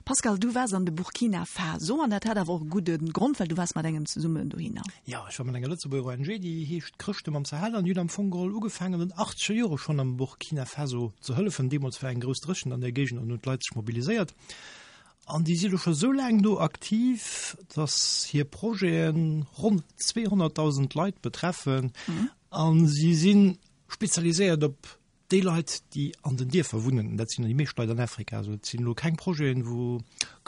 Pascal, du waars an de Burkina Faso an dat hat awer och e gudde Grond, well du waars mat engem zesummen dohinner. Jo, ech war mat enger Lëtzebuerger ONG, déi heescht Chrëschte mam Sahel an déi hunn am Fong geholl ugefaangen an den achtzeger Jore schonn am Burkina Faso ze hëllefen. Deemools war eng grouss Dréchent an der Géigend an hunn d'Leit sech mobiliséiert. An déi si lo scho sou laang do aktiv, datt hir Projete ronn 200.000 Leit betreffen a si si spezialiséiert op Déi Leit, déi an den Dierfer wunnen, dat sinn déi meescht Leit an Afrika, also et sinn elo keng Projeten, wou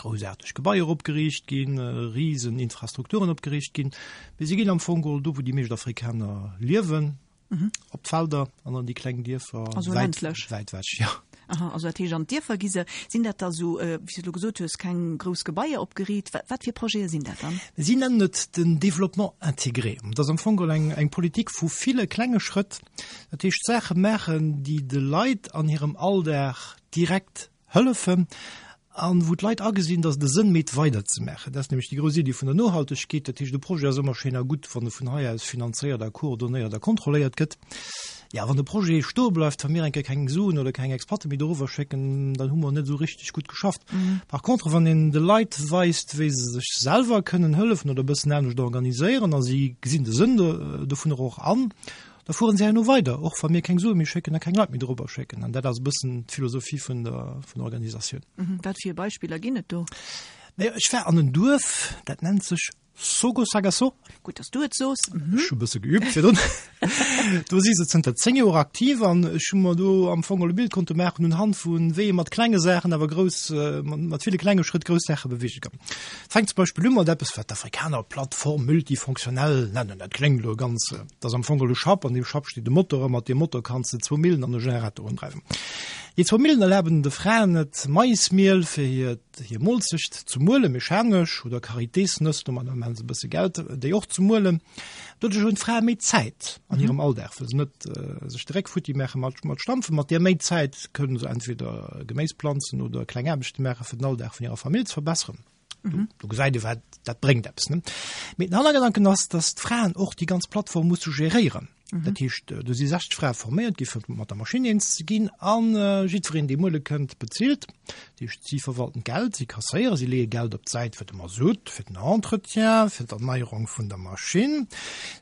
groussaarteg Gebaier opgeriicht ginn, risen Infrastrukturen opgeriicht ginn, mee si ginn am Fong geholl do, wou déi meescht Afrikaner liewen, op d'Felder an an déi kleng Dierfer, Also wäit, ländlech. wäit ewech, jo. Aha, also dat heescht an d'Dierfer gi se. Sinn dat da sou, wéi s du elo gesot hues, keng grouss Gebaier opgeriit? Wat, wat fir Projete sinn dat dann? Si nennen et den Développement intégré. Dat ass am Fong geholl eng, eng Politik vu ville klenge Schrëtt, Dat heescht Saache maachen, déi de Leit an hirem Alldag direkt hëllefen an wou d'Leit agesinn, datt et e Sënn mécht weiderzemaachen. Dat ass nämlech déi grouss Iddi vun der Nohaltegkeet. Dat heescht, e Projet ass ëmmer schéin a gutt, wann e vun hei aus finanzéiert a coordonéiert a kontrolléiert gëtt. Jo, wann de Projet stoe bleift, wa mir eng Kéier keng Suen oder keng Experte méi doriwwer schécken, dann hu mer net esou richteg gutt geschafft. Par contre, wann een de Leit weist, wéi se sech selwer kënnen hëllefen oder e bëssen anescht organiséieren a si gesinn de Sënn dovunner och an, Da fueren se herno weider, och wa mir keng Sue méi schécken a keng Leit méi dorobber schécken. An dat ass e bëssen d'Philosophie vun der, vun der Organisatioun. Wat fir Beispiller ginn et do? Naja, ech war an en Duerf, dat nennt sech Sogo-Sagasso. Gutt, dass du et soos. Ech hu e bësse geübt virdrun. Do si se zënter 10 Joer aktiv an ech hu mer do am Fong e Bild konnte maachen unhand vu wéi ee mat klenge Saachen awer grouss, mat ville klenge Schrëtt grouss Saache beweege kann. Fänkt zum Beispill u mat eppes, wat d'Afrikaner Plateforme multifonctionnelle nennen. Dat kléngt elo ganz, dat ass am Fong e Schapp, an deem Schapp steet e Motor a mat deem Motor kanns de zwou Millen an e Generator undreiwen. Déi zwou Millen erlaben de Fraen et, Maismiel fir hiert, hir Moolzecht ze muelen, mechanesch, oder Karitésnëss, domadder maachen se e bësse Geld, déi och ze muelen. Doduerch hunn d'Frae méi Zäit an hirem Alldag, wëll se net sech de Réck futti maache mat, mat Stampfen. Mat där méi Zäit kënne se entweder Geméis planzen oder kleng Aarbechte maache fir den Alldag vun hirer Famill ze verbesseren. Mhm. Du gesäit ee wat dat bréngt eppes. Ne? Mee den Hannergedanken ass, datt d'Fraen och déi ganz Plattform musse geréieren. Mhm. Dat heescht, äh, do si 60 Frae forméiert gi fir mat der Maschinn eens ze ginn an äh, jiddwereen, dee muele kënnt, bezilt. Dat heescht, si verwalten d'Geld, si kasséieren, si leeë Geld op d'Säit fir de Masutt, fir den Entretien, fir d'Erneierung vun der Maschinn.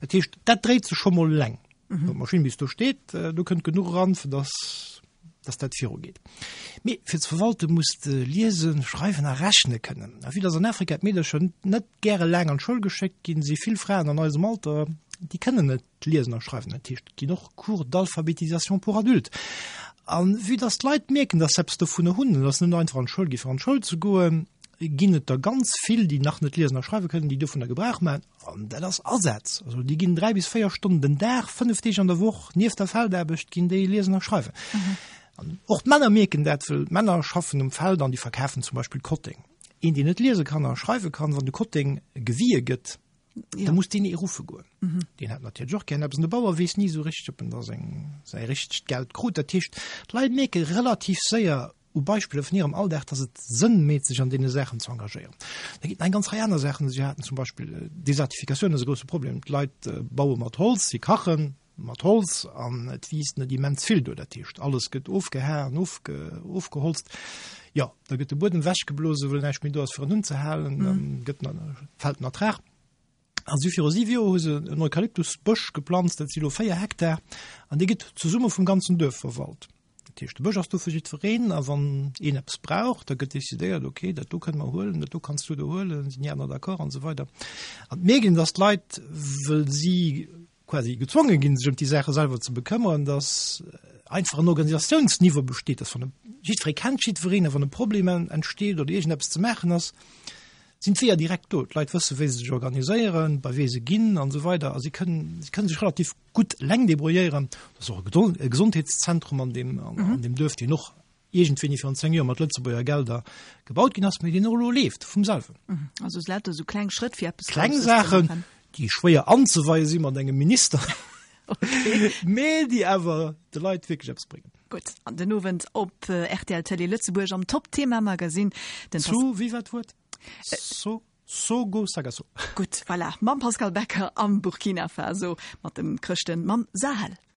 Dat heescht, dat dréit sech scho mol eleng. Mhm. Wann d'Maschinn bis do steet, äh, do kënnt genuch eran, fir dass dass dat virugeet. Mee fir ze verwalte muss de liesen, schreiwen a rechne kënnen. A vue dass an Afrika d'Meedercher net gäre laang an d'Schoul geschéckt ginn, si vill Fraen an eisem Alter, déi kënnen net liesen a schreiwen. Dat heescht, et ginn och Cours d'alphabétisation pour adultes. A vue dass d'Leit mierken, dass se eppes dovunner hunn, an dass se net einfach an d'Schoul gi fir an d'Schoul ze goen, ginn et der ganz vill, déi nach net liesen a schreiwe kënnen, déi dovunner Gebrauch maachen. An dat ass Asaz. Also déi ginn 3 bis 4 Stonnen den Dag, 5 Deeg an der Woch, nieft der Feldaarbecht ginn déi liesen a schreiwen. An och d'Männer mierken dat, wëll d'Männer schaffen um Feld an déi verkafen zum Beispill Kotteng. Een, deen net liese kann a schreiwe kann, wann de Kotteng gewie gëtt, ja. da muss deen ee ruffe goen. Mhm. Deen hat natierlech och gär eppes. An de Bauer weess ni esou richteg, ob en da seng, säi richtegt Geld krut. Dat heescht, d'Leit mierke relativ séier u Beispiller vun hirem Alldag, dass et Sënn meet, sech an deene Saachen ze engagéieren. Da ginn et nach eng ganz Rei aner Saachen. Si haten zum Beispill Desertifikatioun ass e grousse Problem. D'Leit baue mat Holz, si kachen mat Holz an et wiisst net immens vill do. Dat heescht, alles gëtt ofgehaen, ofgeholzt. Jo, da gëtt de Buedem wechgeblose, well näischt méi do ass, fir en unzehalen. Dann gëtt den, fält den Ertrag. A si viru siwe Joer hu se en Eukalyptusbësch geplanzt, dat si lo 4 Hektar, an dee gëtt zesumme vum ganzen Duerf verwalt. Dat heescht, de Bësch ass do fir jiddwereen, a wann een eppes brauch, da gëtt decidéiert, okay, dat do kënne mer huelen, dat do kanns du do huelen, sinn déi aner d'accord an esou weider. An et mierkt een, datt d'Leit, wëll si quasi gezwonge ginn, sech ëm déi Saache selwer ze bekëmmeren, datt einfach en Organisatiounsniveau besteet, datt wann e, jiddweree kennt jiddwereen, a wann e Problem entsteet oder iergendeppes ze maachen ass, sinn d'Weeër direkt do. D'Leit wësse wéi se sech organiséieren, bei wee se ginn an esou weider a si kënnen, si kënnen sech relativ gutt eleng debrouilléieren. Et ass och e Gesondheetszentrum an deem, an deem Duerf, deen och iergendwéini virun 10 Joer mat Lëtzebuerger Gelder gebaut ginn ass, mee deen och elo leeft vum selwen. Also es lauter esou kleng Schrëtt fir eppes Kleng Saachen, déi schwéier anzeweie si mat engem Minister, mee déi awer de Leit wierklech eppes bréngen. Gutt, an den Owend op rtl Télé Lëtzebuerg am Top Thema Magazine. Den Zu, wéi war d'Wuert? So, Sogo Sagaso. Gutt, voilà, mam Pascal Becker am Burkina Faso, mat de Chrëschten, mam Sahel.